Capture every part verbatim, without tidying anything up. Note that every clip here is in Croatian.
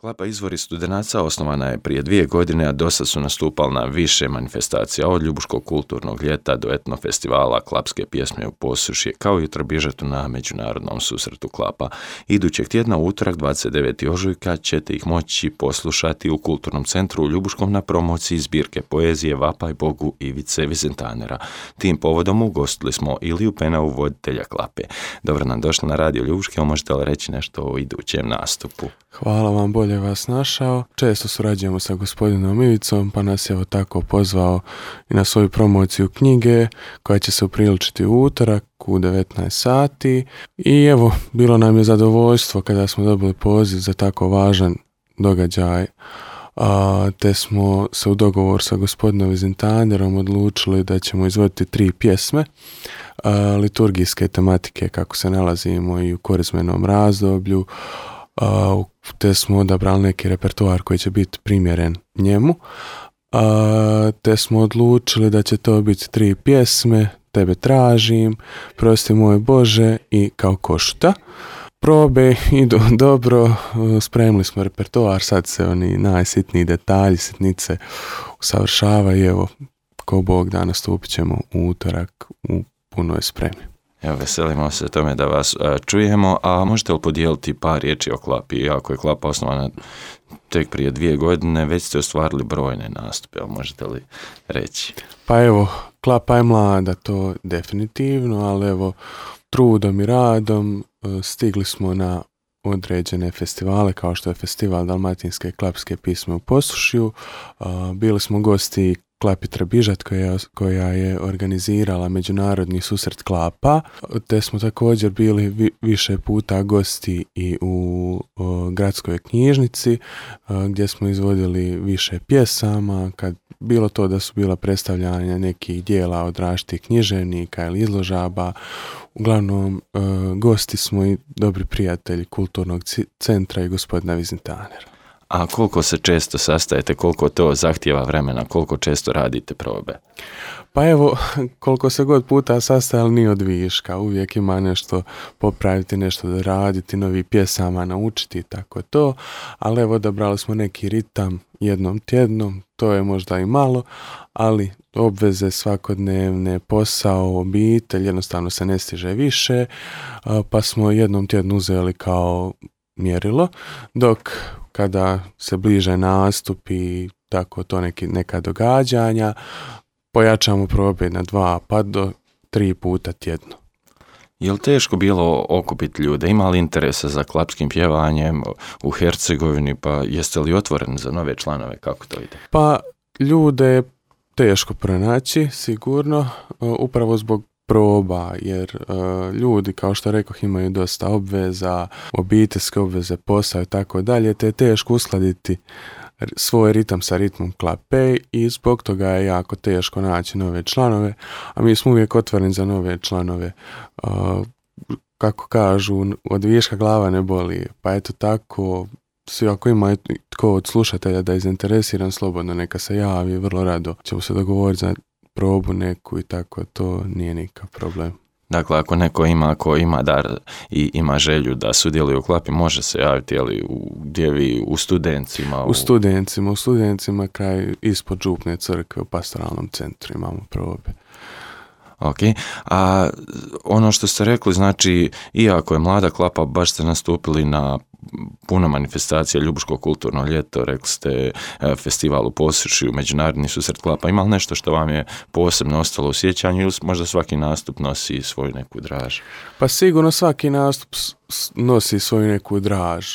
Klapa Izvori studenaca osnovana je prije dvije godine, a dosad su nastupali na više manifestacija, od Ljubuškog kulturnog ljeta do etno festivala klapske pjesme u Posušje, kao i u Trbižetu na međunarodnom susretu klapa. Idućeg tjedna, u utorak dvadeset devetog ožujka, ćete ih moći poslušati u Kulturnom centru u Ljubuškom na promociji zbirke poezije Vapaj Bogu Ivice Vizentanera. Tim povodom ugostili smo Iliju Penavu, voditelja klape. Dobro nam došli na Radio Ljubuške, možete li reći nešto o idućem nastupu? Hvala vam, bolje vas našao. Često surađujemo sa gospodinom Ivicom, pa nas je evo tako pozvao i na svoju promociju knjige koja će se upriličiti u utorak u devetnaest sati. I evo, bilo nam je zadovoljstvo kada smo dobili poziv za tako važan događaj, a, te smo se u dogovor sa gospodinom Vizentanerom odlučili da ćemo izvoditi tri pjesme a, liturgijske tematike kako se nalazimo i u korizmenom razdoblju. Uh, te smo odabrali neki repertoar koji će biti primjeren njemu, uh, te smo odlučili da će to biti tri pjesme: Tebe tražim, Prosti moj Bože i Kao košuta. Probe idu dobro, uh, spremili smo repertoar, sad se oni najsitniji detalji, sitnice usavršavaju. Evo, ko Bog da, nastupit ćemo u utorak u punoj spremi. Evo, veselimo se tome da vas a, čujemo, a možete li podijeliti par riječi o klapi? Iako je klapa osnovana tek prije dvije godine, već ste ostvarili brojne nastupe, ali možete li reći? Pa evo, klapa je mlada, to definitivno, ali evo, trudom i radom stigli smo na određene festivale, kao što je festival Dalmatinske klapske pjesme u Posušju. Bili smo gosti Klapi Trbižat koja, koja je organizirala međunarodni susret klapa, te smo također bili vi, više puta gosti i u o, gradskoj knjižnici a, gdje smo izvodili više pjesama, kad bilo to da su bila predstavljanja nekih dijela od različitih književnika ili izložaba. Uglavnom a, gosti smo i dobri prijatelji Kulturnog centra i gospodina Vizentanera. A koliko se često sastajete, koliko to zahtijeva vremena, koliko često radite probe? Pa evo, koliko se god puta sastajali nije od viška, uvijek ima nešto popraviti, nešto da raditi, novi pjesama naučiti, tako to, ali evo odabrali smo neki ritam jednom tjednom, to je možda i malo, ali obveze svakodnevne, posao, obitelj, jednostavno se ne stiže više, pa smo jednom tjednu uzeli kao mjerilo, dok kada se bliže nastup i tako to neki, neka događanja, pojačamo probe na dva pa do tri puta tjedno. Je li teško bilo okupiti ljude? Ima li interesa za klapskim pjevanjem u Hercegovini, pa jeste li otvoreni za nove članove? Kako to ide? Pa ljude je teško pronaći, sigurno, upravo zbog proba, jer uh, ljudi, kao što rekoh, imaju dosta obveza, obiteljske obveze, posao i tako dalje, te je teško uskladiti svoj ritam sa ritmom klape i zbog toga je jako teško naći nove članove, a mi smo uvijek otvoreni za nove članove. Uh, kako kažu, od viška glava ne boli, pa eto tako, svi ako ima tko od slušatelja da je zainteresiran, slobodno neka se javi, vrlo rado ćemo se dogovoriti za probu neku i tako, to nije nikakav problem. Dakle, ako neko ima, ako ima dar i ima želju da sudjeluje u klapi, može se javiti, jeli, u, gdje vi, u Studencima? U, u Studencima, u Studencima kraj ispod Župne crkve u pastoralnom centru imamo probe. Ok, a ono što ste rekli, znači, iako je mlada klapa, baš ste nastupili na puno manifestacija, Ljubuško kulturno ljeto, rekli ste festival u Posušju, međunarodni susret klapa. Ima li nešto što vam je posebno ostalo u sjećanju ili možda svaki nastup nosi svoju neku draž? Pa sigurno svaki nastup nosi svoju neku draž,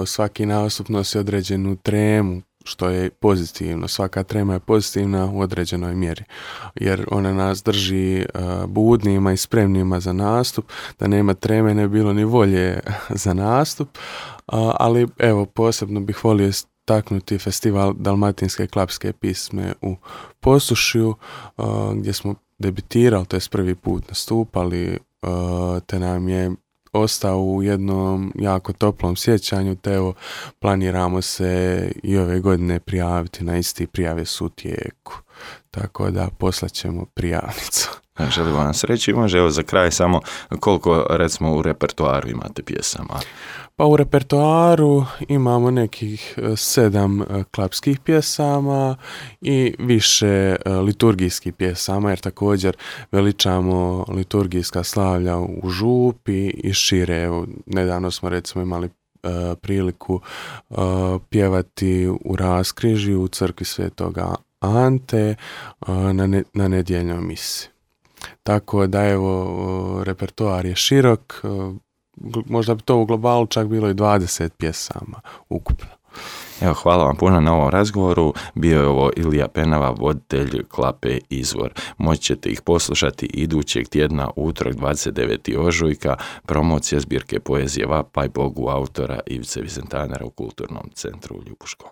svaki nastup nosi određenu tremu, što je pozitivno. Svaka trema je pozitivna u određenoj mjeri, jer ona nas drži uh, budnima i spremnima za nastup. Da nema treme ne bilo ni volje za nastup, uh, ali evo, posebno bih volio istaknuti festival Dalmatinske klapske pjesme u Posušju, uh, gdje smo debitirali, to je prvi put nastupali, uh, te nam je ostao u jednom jako toplom sjećanju, te evo planiramo se i ove godine prijaviti na isti, prijave su u tijeku, tako da poslaćemo prijavnicu. Želim vam sreći. Može evo za kraj samo koliko recimo u repertoaru imate pjesama? Pa u repertoaru imamo nekih sedam klapskih pjesama i više liturgijskih pjesama, jer također veličamo liturgijska slavlja u župi i šire. Evo, nedavno smo recimo imali priliku pjevati u Raskrižju u crkvi Svetoga Ante na, ne, na nedjeljnoj misi. Tako da evo, repertoar je širok, možda bi to u globalu čak bilo i dvadeset pjesama ukupno. Evo, hvala vam puno na ovom razgovoru. Bio je ovo Ilija Penava, voditelj Klape Izvor. Moći ćete ih poslušati idućeg tjedna, utorak dvadeset devetog ožujka, promocija zbirke poezije Vapaj Bogu autora Ivice Vizentanera u Kulturnom centru u Ljubuškom.